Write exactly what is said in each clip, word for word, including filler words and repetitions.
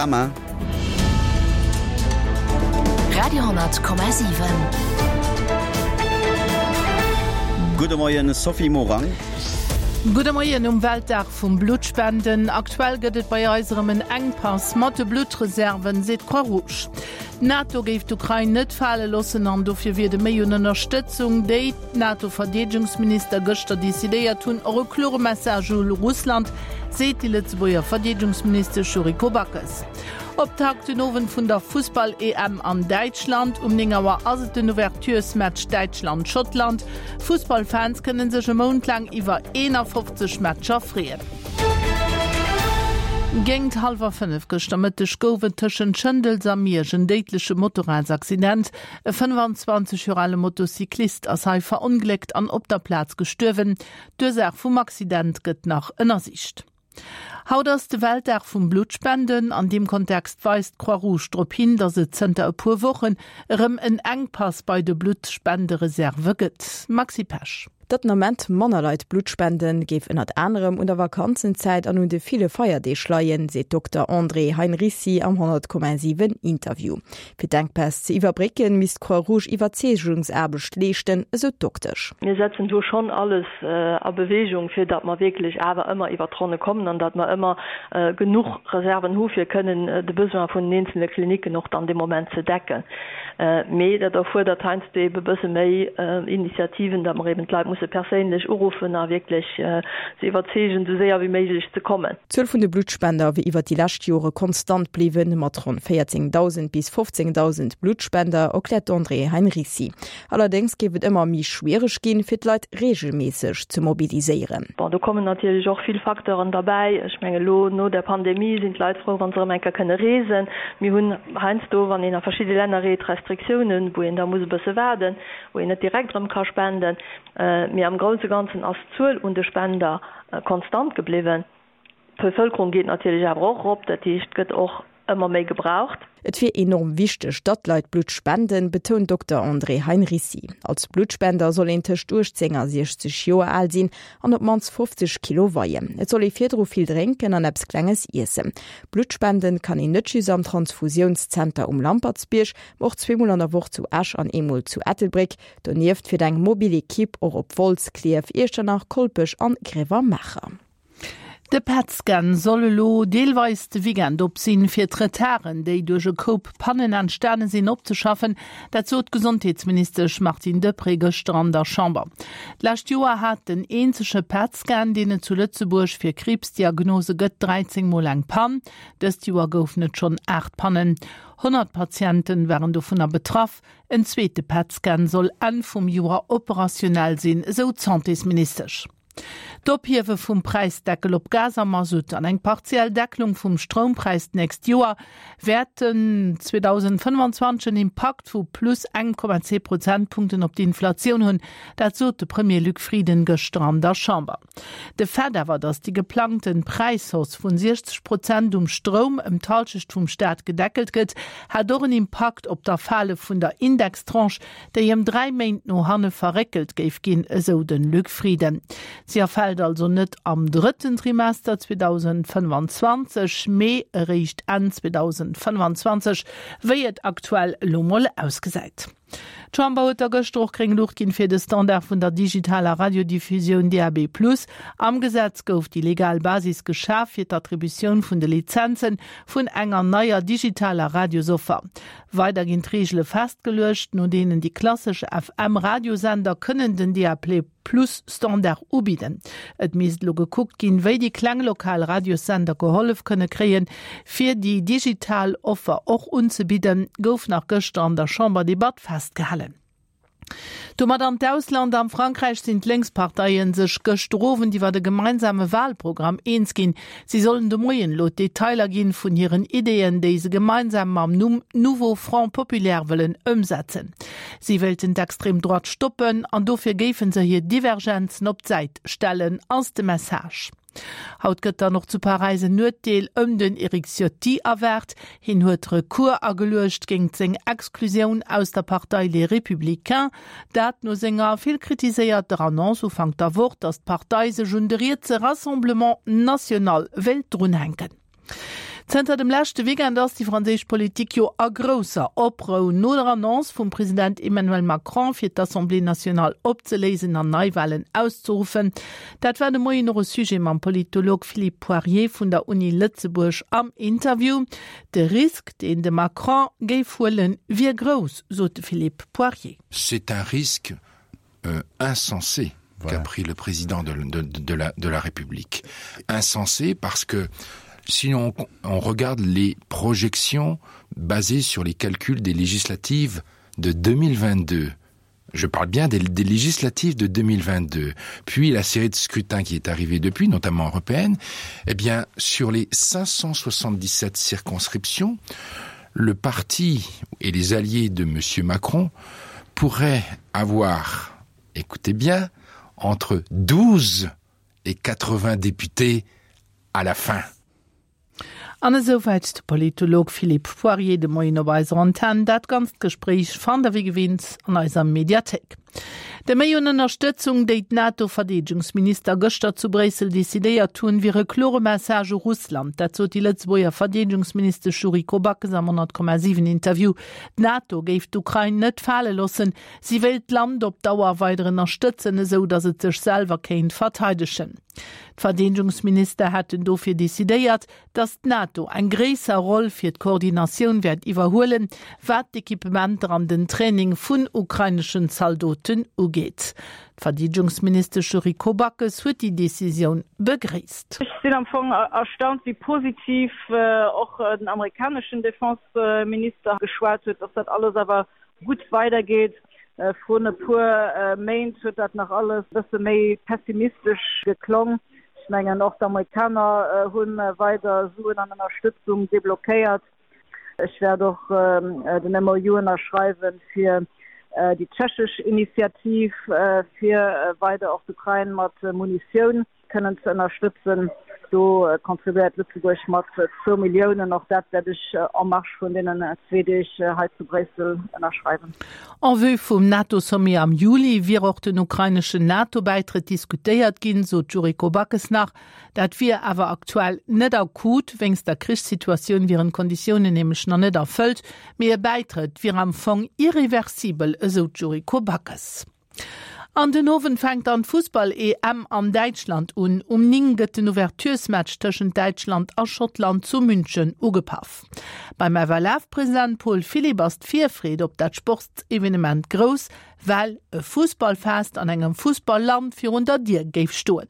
Panorama. Radio hundert Komma siwen. Gudde Moien Sophie Morang. Gudde Moien um Weltdag vum Bluttspenden. Aktuell gëtt et bei eis erëm en Enkpass mat de Bluttreserven, seet d'Croix Rouge. D'NATO géif d'Ukrain net fale loossen an dofir wier de Méi un Ënnerstëtzung, déi d'NATO-Verdeedegungsminister gëschter decidéiert hunn, och e klore Message u Russland, seet déi Lëtzebuerger Verdeedegungsministesch Yuriko Backes. Optakt den Owend vun der Fussball-EM an Däitschland. Um néng Auer ass et den Ouverturesmatch Däitschland-Schottland. Fussballfans kënne sech e Mount laang iwwer eenafofzeg Matcher freeën. Géint hallwer fënnef gëschter Mëtteg gouf et tëschent Schëndels a Miersch en déidleche Motorradsaccident. E fënnefanzwanzeg Joer ale Motocyclist ass hei verongléckt an op der Plaz gestuerwen. D'Ursaach vum Accident gëtt nach ënnersicht. Haut ass de Weltdag vum Bluttspenden. An deem Kontext weist d'Croix-Rouge drop hin, datt et zënter e puer Wochen erëm en Enkpass bei de Bluttspendereserve gëtt. Maxi Pesch. Datt den Ament manner Leit Blutt spenden, géif ënnert anerem un der Vakanzenzäit an un de ville Feierdeeg leien, seet Dokter André Heinricy am honnert Komma siwen Interview. Fir d'Enkpäss ze iwwerbrécken, misst d'Croix-Rouge Iwwerzeegungsaarbecht leeschten, esou d'Doktesch. Mir setzen do schonn alles a Beweegung, fir datt mer wierklech awer ëmmer iwwer d'Ronne kommen an datt mer ëmmer genuch Reserven hu fir kënnen de Besoin vun den eenzele Klinicken och dann dee Moment ze decken. Mee dat erfuerdert heiansdo ebe bësse méi Initiativen, datt mer eben d'Leit musse perséinlech uruffen a wierklech se iwwerzeegen, esou séier wéi méiglech ze kommen. D'Zuel vun de Bluttspender wier iwwer déi lescht Jore konstant bliwwen, mat ronn véierzéngdausend bis fofzéngdausend Bluttspender, erkläert d'Andrée Heinricy. Allerdéngs géif et ëmmer méi schwiereg ginn, fir d'Leit reegelméisseg ze mobiliséieren. Bon, do kommen natierlech och vill Facteuren derbäi. Ech mengen, elo no der Pandemie sinn d'Leit frou, wa se erëm eng Kéier kënne reesen. Mir hunn heiansdo, wann een a verschidde Länner reet, Restriktiounen, wou een da muss e bësse waarden, wou een net direkt erëm ka spenden. Mee am grousse Ganzen ass d'Zuel un de Spender konstant gebliwwen. D'Bevëlkerung geet natierlech awer och erop, dat heescht, et gëtt och ëmmer méi gebraucht. Et wier enorm wichteg, datt d'Leit Blutt spenden, betount Dokter André Heinricy. Als Bluttspender soll een tëscht uechtzéng a siechzeg Joer al sinn an op d'mannst fofzeg Kilo weien. Et soll ee virdru vill drénken an eppes Klenges iessen. Blutt spenden kann een net just am Transfusiounszenter um Lampertsbierg, ma och zweemol an der Woch zu Esch an eemol zu Ettelbréck. Donieft fiert eng mobil Ekipp och op Wolz, Klierf, Iechternach, Kolpech an Grevermacher. De PET-Scan soll elo deelweis de Weekend op sinn, fir d'Retarden, déi duerch e Koup Pannen entstane sinn, opzeschaffen. Dat sot d'Gesondheetsministesch Martine Deprez gëschter an der Chamber. D'lescht Joer hat den eenzege PET-Scan, deen et zu Lëtzebuerg fir Kriibsdiagnose gëtt, dräizéng Mol eng Pann. Dëst Joer goufen et schonn aacht Pannen. Honnert Patienten waren dovunner betraff. En zweete PET-Scan soll Enn vum Joer operationell sinn, esou d'Santésministesch. D'Ophiewe vum Präisdeckel op Gas a Masutt an eng partiell Deckelung vum Stroumpräis d'nächst Joer wäerten zweedausendfënnefanzwanzeg en Impakt vu plus eng Komma zwee Prozentpunkten op d'Inflatioun hunn. Dat sot de Premier Luc Frieden gëschter an der Chamber. De Fait awer, datt déi geplangte Präishausse vun siechzeg Prozent um Stroum ëm d'Hallschecht vum Staat gedeckelt gëtt, hat och en Impakt op d'Erfale vun der Indextranche, déi ëm dräi Méint no hanne verréckelt géif ginn, esou de Luc Frieden. Si erfält also net am drëtten Trimester zweedausendfënnefanzwanzeg, mee eréischt Enn zweedausendfënnefanzwanzeg, wéi et aktuell elo mol ausgesäit. D'Chamber huet da gëschter och gréng Luucht ginn fir de Standard vun der digitaler Radiodiffusioun D A B plus. Am Gesetz gouf déi legal Basis geschaf fir d'Attributioun vun de Lizenze vun enger neier digitaler Radiosoffer. Weider ginn d'Reegele festgeluecht, no deenen déi klassesch F M-Radiosender kënnen den D A B plus Standard ubidden. Et misst elo gekuckt ginn, wéi déi kleng lokal Radiossender gehollef kënne kréien, fir déi digital Offer och unzebidden, gouf nach gëschter an der Chamberdebatt festgehalen. Domat an d'Ausland, Am Frankräich sinn d'Lénksparteie sech gëschter Owend iwwer e gemeinsame Walprogramm eens ginn. Si sollen de Moien elo d'Detailer ginn vun hiren Ideeën, déi se gemeinsam mam Numm Nouveau Front Populaire wëllen ëmsetzen. Si wéilten d'Extrême Droite stoppen an dofir géife se hir Divergenzen op d'Säit stellen, ass de Message. Haut gëtt dann och zu Paräis en Urteel ëm den Eric Ciotti erwaart. Hien huet Recours ageluecht géingt seng Exklusioun aus der Partei Les Républicains. Dat no senger vill kritiséierter Annonce Ufank der Woch, datt d'Partei sech un de rietse Rassemblement National wéilt drunhänken. Zënter dem leschte Weekend ass déi franséisch Politik jo a grousser Oprou no der Annonce vum President Emmanuel Macron, fir d'Assemblée nationale opzeléisen an Neiwalen auszeruffen. Dat war de Moien och e Sujet mam Politolog Philippe Poirier vun der Uni Lëtzebuerg am Interview. De Risk, deen de Macron géif huelen, wier grouss, sot de Philippe Poirier. C'est un risque euh, insensé voilà. qu'a pris le président de, de, de, la, de la République. Insensé parce que si on, on regarde les projections basées sur les calculs des législatives de deux mille vingt-deux, je parle bien des, des législatives de deux mille vingt-deux, puis la série de scrutins qui est arrivée depuis, notamment européenne, eh bien, sur les cinq cent soixante-dix-sept circonscriptions, le parti et les alliés de M. Macron pourraient avoir, écoutez bien, entre douze et quatre-vingts députés à la fin. An esouwäit de Politolog Philippe Poirier de Moien op eiser Antenn. Dat ganzt Gespréich fannt der wéi gewinnt an eiser Mediathéik. De Méi un Ënnerstëtzung, déi d'NATO-Verdeedegungsminister gëschter zu Bréissel decidéiert hunn, wier e klore Message u Russland. Dat sot déi Lëtzebuerger Verdeedegungsministesch Yuriko Backes am honnert Komma siwen Interview. D'NATO géif d'Ukrain net fale loossen. Si wéilt d'Land op Dauer weider ënnerstëtzen, esou datt et sech selwer kéint verteidegen. D'Verdeedegungsminister hätten dofir decidéiert, datt d'NATO eng gréisser Roll fir d'Koordinatioun wäert iwwerhuelen, wat d'Equipementer an den Training vun ukraineschen Zaldoten ugeet. D'Verdeedegungsministesch Yuriko Backes huet déi Decisioun begréisst. Ech sinn am Fong erstaunt, wéi positiv och den amerikaneschen Defenseminister geschwat huet, datt dat alles awer gutt weidergeet. Vrun e puer Méint huet dat nach alles e bësse méi pessimistesch geklong. Ech mengen, och d'Amerikaner hu weider Suen an Ënnerstëtzung deblockéiert. Ech wäert och den M O U ënnerschreiwen fir déi tschechesch Initiativ, fir weider och d'Ukrain mat Munitioun kënnen ze ënnerstëtzen. Do kontribuéiert Lëtzebuerg mat zwou Milliounen. Och dat wäert ech en marge vun deenen zwee Deeg hei zu Bréissel ënnerschreiwen. En vue vum NATO-Sommet am Juli wier och den ukraineschen NATO-Bäitrëtt diskutéiert ginn, sot d'Yuriko Backes nach. Dat wier awer aktuell net akut. Wéinst der Krichssituatioun wieren d'Konditiounen nämlech nach net erfëllt. Mee e Bäitrëtt wier am Fong irreversibel, esou d'Yuriko Backes. An den Owend fänkt dann d'Fussball-E M an Däitschland un. Um néng gëtt den Ouverturesmatch tëschent Däitschland a Schottland zu München ugepaff. Beim F L F-President Paul Philipp ass d'Virfreed op dat Sportsevenement grouss, well e Fussballfest an engem Fussballland virun der Dier géif stoen.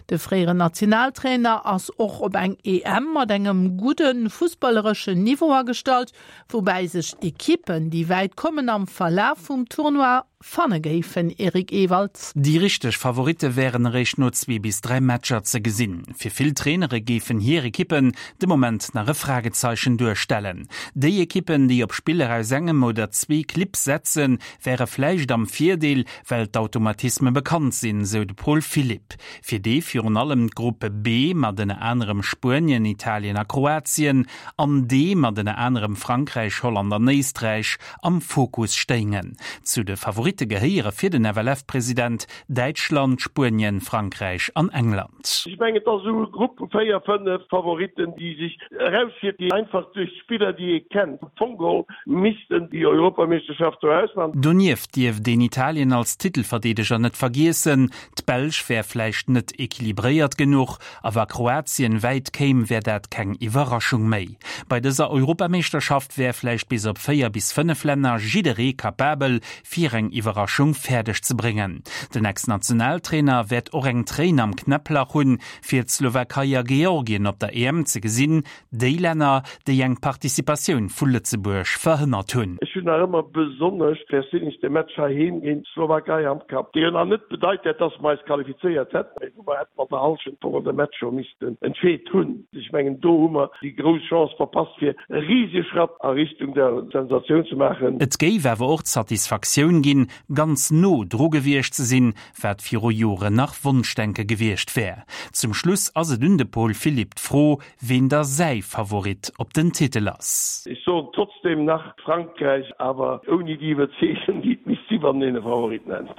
De fréieren Nationaltrainer ass och op eng E M mat engem gudde fussballereschen Niveau agestallt, woubäi sech Ekippen, déi wäit kommen, am Verlaf vum Tournoi fanne géifen. Eric Ewald. Déi richteg Favoritte wären eréischt no zwee bis dräi Matcher ze gesinn. Fir vill Trainere géifen hir Ekippen de Moment nach e Fragezeichen duerstellen. Déi Ekippen, déi op Spiller aus engem oder zwee Clibb setzen, wäre vläicht am Virdeel, well d'Automatisme bekannt sinn, sou de Paul Philipp. Fir déi virun allem d'Gruppe B mat ënner anerem Spuenien, Italien a Kroatien an D mat ënner anerem Frankräich, Holland an Éisträich am Fokus stéingen. Zu de Favoritte gehéiere fir den F L F-President Däitschland, Spuenien, Frankräich an England. Ech mengen, et ass esou e Grupp vu véier, fënnef Favoritten, déi sech eraushieft, déi einfach duerch d'Spiller, déi ee kennt, am Fong geholl missten déi Europameeschterschaft do ausmachen. Donieft dierft een Italien als Titelverdeedeger net vergiessen. D'Belsch wär vläicht net equilibréiert genuch, a wa Kroatien wäit kéim, wär dat keng Iwwerraschung méi. Bei dëser Europameeschterschaft wär vläicht bis op véier bis fënnef Länner jidderee kapabel, fir eng Iwwerraschung fäerdeg ze bréngen. Den Ex-Nationaltrainer wäert och eng Tréin am Knäpplach hunn, fir d'Slowakei a Georgien op der E M ze gesinn, déi Länner, déi eng Participatioun vu Lëtzebuerg verhënnert hunn. Ech hunn nach ëmmer besonnesch perséinlech de Match heiheem géint d'Slowakei am Kapp, dee jo nach net bedeit hätt, dass mer eis qualifizéiert hätten, mee wou mer hätten an der Hallschent vun de Match scho missten entscheet hunn. Ech mengen, do hu mer déi grouss Chance verpasst, fir e riesege Schratt a Richtung der Sensatioun ze maachen. Et géif awer och d'Satisfaktioun ginn, ganz no dru gewiescht ze sinn, wat viru Joren nach Wonschdenke gewiescht wär. Zum Schluss ass et un de Paul Philipp d'Fro, ween da säi Favorit op den Titel ass. Ech soen trotzdem nach Frankräich, awer ouni déi Iwwerzeegung, déi et misst si, wann een e Favorit nennt.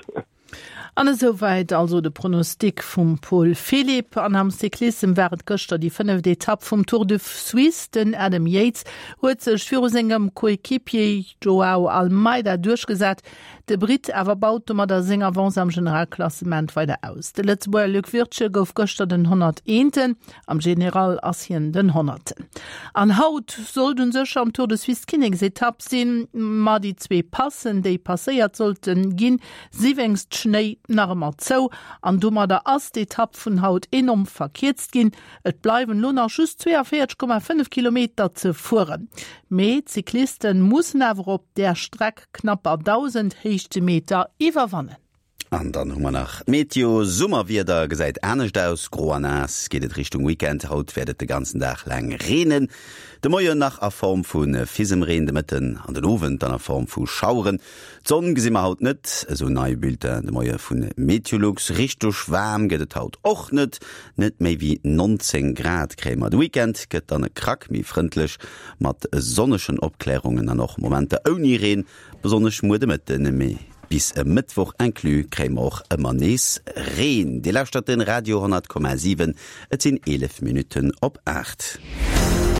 An esouwäit also de Pronostic vum Paul Philipp. An am Cyclissem war et gëschter déi fënneft Etapp vum Tour de Suisse. Den Adam Yates huet sech viru sengem Coequipier Joao Almeida duerchgesat. De Britt awer baut domadder seng Avance am Generalklassement weider aus. De Lëtzebuerger Luc Wirtgen gouf gëschter den honnerteenten, am General ass hien den honnerten. An haut sollt u sech am Tour de Suisse d'Kinneksetapp sinn, ma déi zwee Passen, déi passéiert sollte ginn, si wéinst Schnéi nach ëmmer zou an domadder ass d'Etapp vun haut enorm verkierzt ginn. Et bleiwen elo nach just zwee a véierzeg Komma fënnef Kilometer ze fueren. Mee d'Cycliste mussen awer op där Streck knapper dausend Héichtemeter iwwerwannen. An dann hu mer nach d'Meteo, Summerwieder gesäit anescht aus, gro an naass geet et Richtung Weekend. Haut wäert et de ganzen Dag laang reenen, de Moien nach a Form vu Fisemreen, de Mëtten an den Owend dann a Form vu Schaueren. D'Sonn gesi mer haut net, esou nei Bulletin de Moie vu Meteolux. Richteg waarm gëtt et haut och net, net méi wéi nonzéng Grad kréie mer. De Weekend gëtt dann e Krack méi frëndlech mat sonnegen Opklärungen an och Momenter ouni Reen, besonnesch muer de Mëtten. Mee bis e Mëttwoch inclus kréie mer och ëmmer nees Reen. Dir lauschtert den Radio honnert Komma siwen, et sinn eelef Minutten op aacht.